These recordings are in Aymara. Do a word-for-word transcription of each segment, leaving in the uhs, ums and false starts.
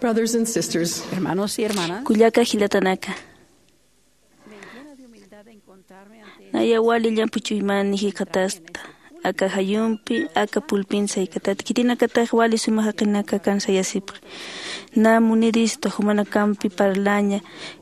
Brothers and sisters, hermanos y hermanas, kullaka jilatanaka, naya wali llamp'u ch'uymani jikxatasta. Aka jayumpi, aka pulpin saykatati khitinakatax wali suma jaqinaka kansayasipxi. Na munirista jumanakampi parlaña,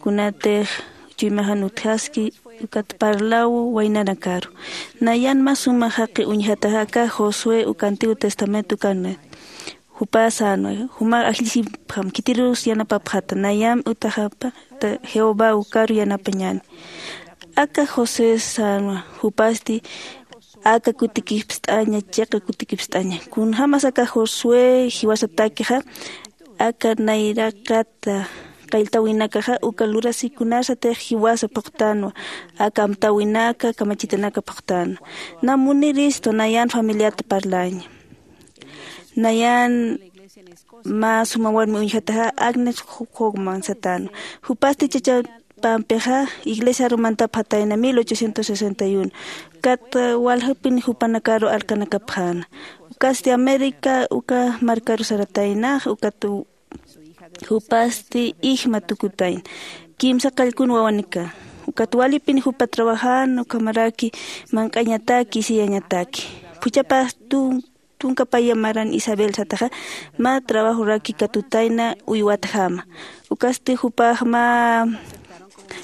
kunatix chuymaxan utjaski, ukat parlaw waynanakaru. Nayan mä suma jaqi uñjataxa aka Josué uka Antiguo Testamento ukanit. Jupa sänwa, jumax ajllisipxam, khitirus yanapapxata, nayam utjaxapxta, Jehová ukaru yanapañäni. Aka José sänwa, jupasti aka kutikipst'aña, chiqa kutikipst'aña. Kunjämas aka Josué jiwasatakixa, aka nayraqata qalltawinakaxa uka lurasikunasatix jiwasa phuqtänwa, aka amtäwinaka, kamachitanaka phuqtänwa. Na muniristu nayan familiata parlaña. Nayan mä suma warmi uñjataxa Agnes Hogman satänwa. Jupasti chachapampixa iglesiaru mantapxatayna mil ochocientos sesenta y uno. Kat waljapin jupanakaru alkanakapxäna. Ukasti América uka markaru sarataynax, ukat jupasti ijma tukutayna. Kimsa qallkun wawanika. Ukat walipin jupa trabajan, ukhamaraki manq'añataki, isiyañataki. Phuchhapax tun tunka paya maran Isabel sataxa, mä trabajoraki katutayna uywatjama. Ukasti jupax mä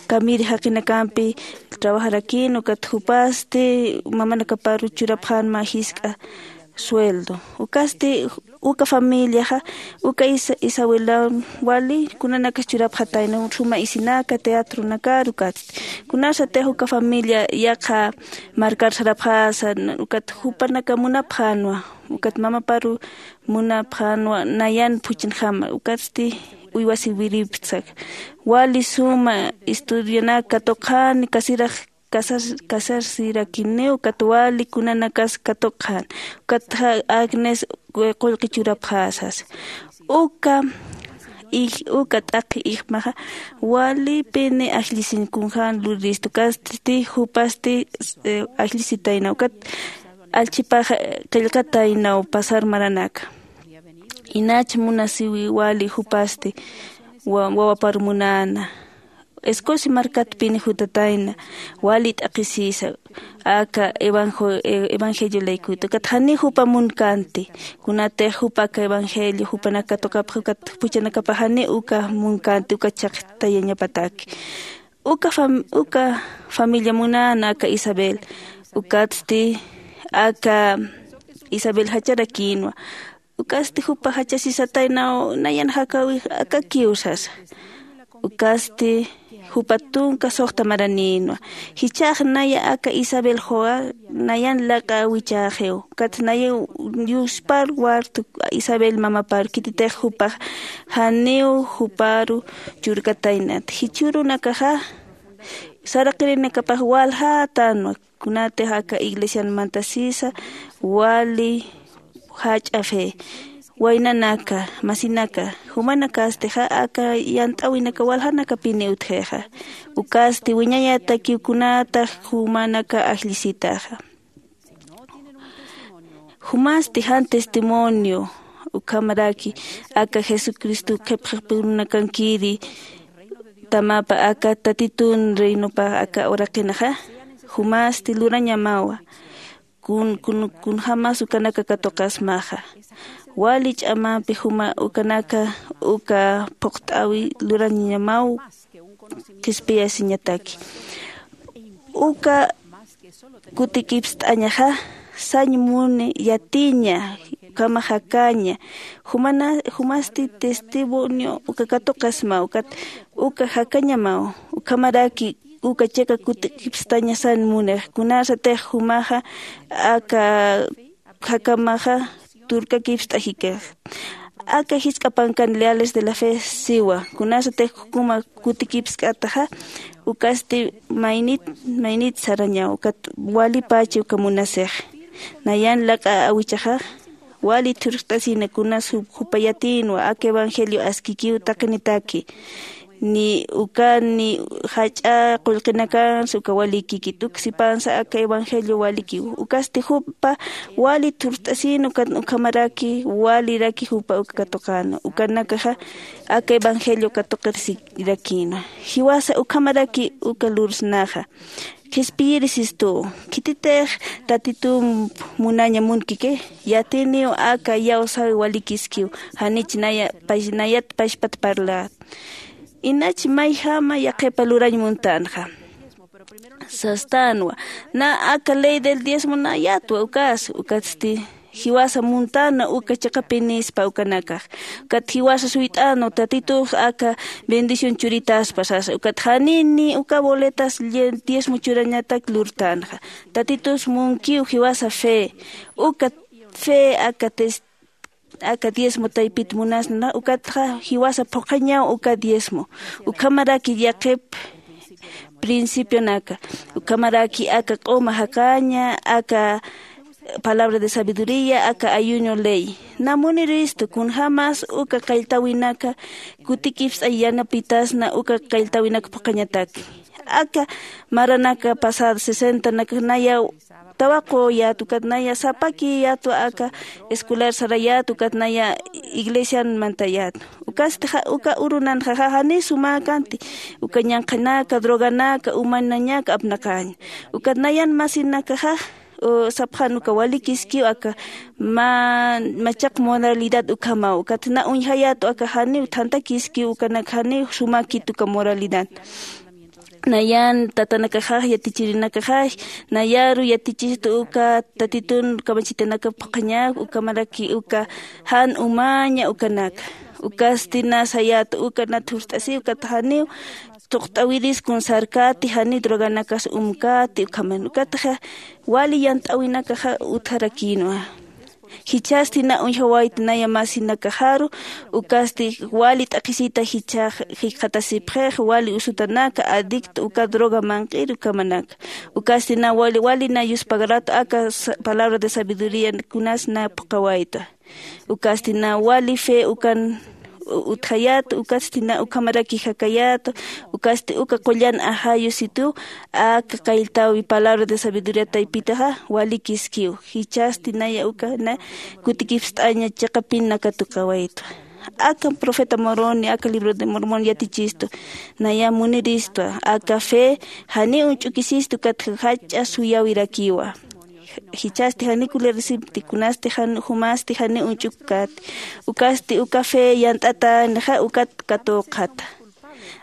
kamiri jaqinakampi trabajarakïn, ukat jupasti mamanakaparu churapxän mä jisk'a sueldo. Ukasti uka familiaxa, uka Isa-, Isabelan wali kunanakas churapxatayna, suma isinaka, teatronakar, ukatsti. Kunasatix uka familia yaqha markar sarapxasa, ukat jupanaka munapxänwa, ukat mamaparu munapxänwa nayan phuchanjama, ukatsti uywasiwiriptsa. Wali suma estudionak katuqxäni, kasirax kasar-, kasarsirakinew, ukat wali kunanakas katuqxän, ukat Agnes qullqi churapxäsas. Uka ij-, uka t'aqhi ijmaxa, walipini ajllisiñ kunjän luriristu, ukatsti jupasti, eh, ajllisitayna, ukat allchhipax qillqataynaw pasar maranaka. Inach munasiwi wali jupasti wa-, wawapar munäna. Escocia markatpini jutatayna, wali t'aqhisisa, aka evanjo-, e-, evangelio laykuta. Ukat jani jupa munkänti, kunatix jupa aka evangelio, jupanak katuqapxi, ukat phuchhanakapax jani uka munkänti, uka chhaqtayañapataki. Uka fam-, uka familia munäna aka Isabel, ukatsti aka Isabel jacharakïnwa. Ukatsti jupa jachasisataynaw, nayan jakawix akakiw sasa. Ukatsti jupa tunka suxta maranïnwa. Jichhax naya aka Isabel juwa, nayan laq'a wichäxiw. Ukat naya yuspar wartu Isabel mamapar, khititix jupax janiw juparu churkataynat. Jichhürunakaxa saraqirinakapax waljätänwa. Kunatix aka iglesian mantasisa, wali jach'a fe, waynanaka, masinaka, jumanakastixa aka yant'äwinaka waljanakapini utjixa. Ukasti wiñayatakiw kunatax jumanaka ajllisitaxa. Jumasti jan testimonio, ukhamaraki aka Jesucristo qhipxipirunakankiri, tamapa aka Tatitun reinopa aka uraqinaxa, jumasti lurañamawa, kun, kun, kunjämas ukanaka katuqasmaxa. Wali ch'amampi juma ukanaka uka phuqt'äwi lurañamaw qhispiyasiñataki. Uka kutikipst'añaxa, sañ muni yatiña, ukhama jakaña, jumana, jumasti testimonio uka katuqasma, ukat uka jakañamaw, ukhamaraki uka chiqa kutikipstaña sañ munix, kunasatix jumaxa aka jakamaxa turkakipst'ajikix. Aka jisk'a pankan Leales de la Fe siwa, kunasatix jukuma kutikipsk'ataxa, ukasti maynit, maynit sarañaw, ukat walipachi uka munasix. Nayan laq'a awichaxax, wali thurxt'asina kunas jup-, jupa yatïnwa, aka evangelio askikiw taqinitaki. ni uka ni jach'a qullqinakansa uka walikikit uksipansa aka evangelio walikiw. Ukasti jupa wali thurt'asin ukat ukhamaraki waliraki jupa uka katuqana ukanakaxa aka evangelio katuqirsirakïna. Jiwasa ukhamaraki uka lursnaxa qhispiyiri sistuw. Khititix tatitump munaña munkiki? Yatiniw aka iyawsäwi walikiskiw. Janich naya nayat pachpat parlat inach mayjama yaqhipa lurañ muntänxa sastänwa. Na aka ley del diezmo nayatwa ukas ukatsti jiwasa muntäna uka chiqapinispa ukanakax. Ukat jiwasa suyt'änwa tatitux aka bendición churitaspa sasa ukat janini uka boletas diezmo churañatak lurtänxa. Tatitus munkiw jiwasa fe uka fe aka tes aka diezmo taypit munasna ukatxa jiwasa phuqhañaw uka diezmo ukhamaraki yaqhip principionaka ukhamaraki aka q'uma jaqaña aka palabra de sabiduría aka ayuño ley. Na muniristu kunjämas uka qalltäwinaka kutikipst'ay yanapitasna uka qalltäwinaka phuqhañataki aka maranaka pasada sesentanaka naya tawaquyät ukat naya sapakiyätwa aka escolar sarayät ukat naya iglesian mantayät. Ukasti uka urunanxa jani sumäkanti uka ñanqhanaka droganaka umanañaka apnaqaña. Ukat nayan masinakaxa sapxan uka walikiskiw aka machaq moralidad ukhamaw ukat na uñjayätwa aka janiw thanthakiskiw ukanak janiw sumäkit uka moralidad. Nayan tatanakaxax yatichirinakaxax nayaru yatichistu uka tatitun kamachitanaka phuqhañak ukhamaraki uka jan umaña ukanaka. Ukasti na sayäta uka na thurt'asiw ukat janiw thuqt'awiris kun sarkäti janiw droganakas umkäti ukhaman ukatxa wali yant'äwinakaxa utjarakïnwa. Jichhasti na uñjawayta naya masinakaxaru ukasti wali t'aqhisita jichhax jikxatasipxix wali usutanaka adicto uka droga manq'ir ukhamanaka. Ukasti na wali wali na yuspagaratu aka palabra de sabiduría kunas na phuqhawayta. Ukasti na wali fe ukan utjayäta ukasti na ukhamaraki jakayäta. Ukasti uka qullan ajayu situ aka qalltäwi palabra de sabiduría taypitaxa walikiskiw. Jichhasti naya uka na kutikipst'aña chiqapin na katuqawaytwa. Aka profeta moroni aka libro de mormon yatichistu naya muniristwa aka fe janiw uñch'ukisistu ukat jach'a suyawirakiwa. Jichhasti janiw kulirisipti kunasti jumasti janiw uñch'ukkäti. Ukasti uka fe yant'atänixa ukat katuqata.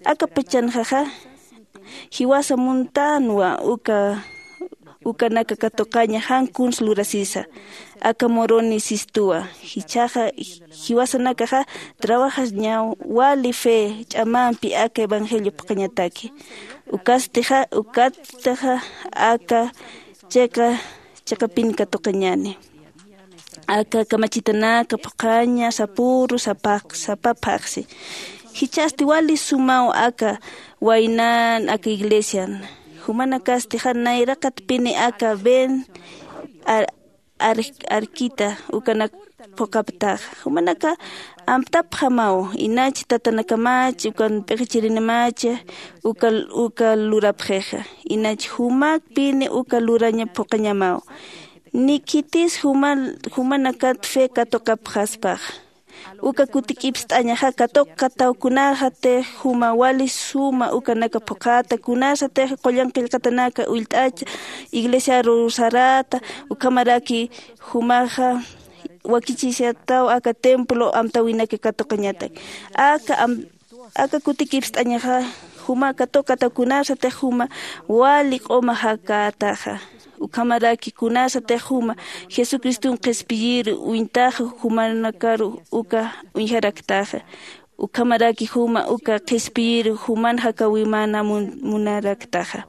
Aka pachanxaxa jiwasa muntänwa uka ukanaka katuqaña jan kuns lurasisa. Aka moroni sistuwa jichhaxa jiwasanakaxa trabajañaw wali fe ch'amampi aka evangelio phuqhañataki. Ukastixa ukatxa aka chiqa chiqapin katuqañani. Aka kamachitanaka phuqhaña sapüru sapa sapa phaxsi. Jichhasti wali sumaw aka waynan aka iglesian. Jumanakastixa nayraqatpini aka ven arkita ukanak phuqhaptaxa. Jumanaka amtapxamaw inach tatanakamach ukan p'iqichirinamach uka uka lurapxixa. Inach jumakpini uka luraña phuqhañamaw. Ni khitis juma jumanakat fe katuqapxaspaxa. Uka kutikipst'añaxa katuqkataw kunasatix juma wali suma ukanaka phuqhata kunasatix qullan qillqatanaka ullt'acha iglesiaru sarata ukhamaraki jumaxa wakichisataw aka templo amtäwinaka katuqañatak. Aka aka kutikipst'añaxa juma katuqkataw kunasatix juma wali q'uma jakätaxa. Ukhamaraki kunasatix juma jesucriston qhispiyir uñtaxa jumanakaru uka uñjaraktaxa. Ukhamaraki juma uka qhispiyir juman jakäwimana munaraktaxa.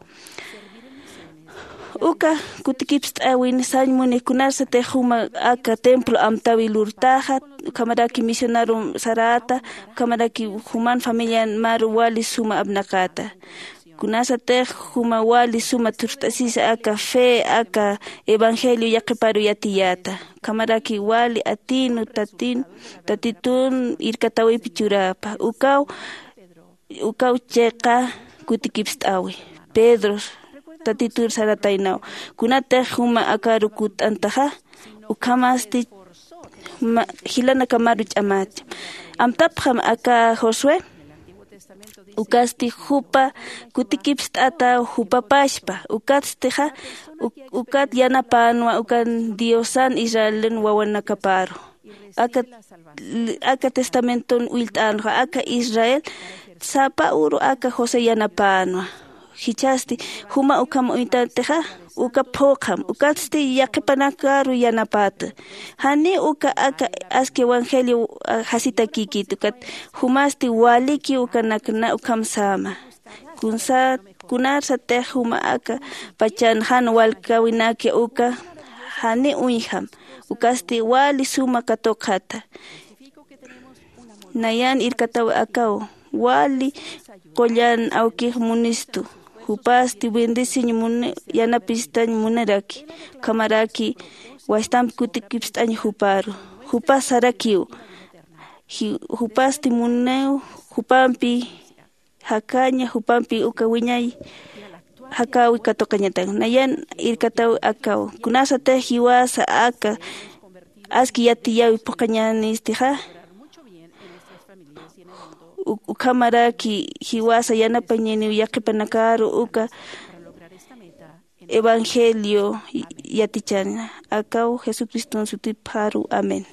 Uka kutikipst'äwin sañ muni kunasatix juma aka templo amtäwi lurtaxa ukhamaraki misionaru sarata ukhamaraki juman familian maru wali suma apnaqata. Kunasatix juma wali suma thurt'asisa aka fe aka evangelio yaqhiparu yatiyäta. Ukhamaraki wali atinu tatin tatitun irkatäwipi churäpa ukaw Ukaw chiqa kutikipst'awi. Pedro tatitur sarataynaw, kunatix juma akaru kutt'antaxa, ukhamasti ma- jilanakamaru ch'amati. Amtapxam aka Josué, ukasti jupa kutikipst'ata jupa pachpa, ukatstixa uk- ukat yanapänwa ukan Diosan Israelin wawanakaparu. Aka aka testamenton ullt'änxa aka Israel sapa uru aka José yanapänwa. Jichhasti juma ukham uñtatixa, uka phuqham, ukatsti yaqhipanakaru yanapäta. Janiw uka aka aski evangelio jasitakïkit, ukat jumasti waliki ukanakna ukham säma. Kunsa kunarsatix juma aka pachan jan walkäwinaki uka, janiw uñjam, ukasti wali suma katuqxata. Nayan irkataw akaw wali qullan awkix munistu. Jupasti bendeciñ muni, yanapistañ muniraki, ukhamaraki wastamp kutikipst'añ juparu. Jupas sarakiw, ji- jupasti muniw, jupampi jakaña, jupampi uka wiñay jakäwi katuqañatan. Nayan irkataw akaw, kunasatix jiwasa aka aski yatiyäwi phuqhañänistixa, u- ukhamaraki jiwasa yanapañäniw yaqhipanakaru uka evangelio yatichana. Akaw jesucriston sutipxaru, amén.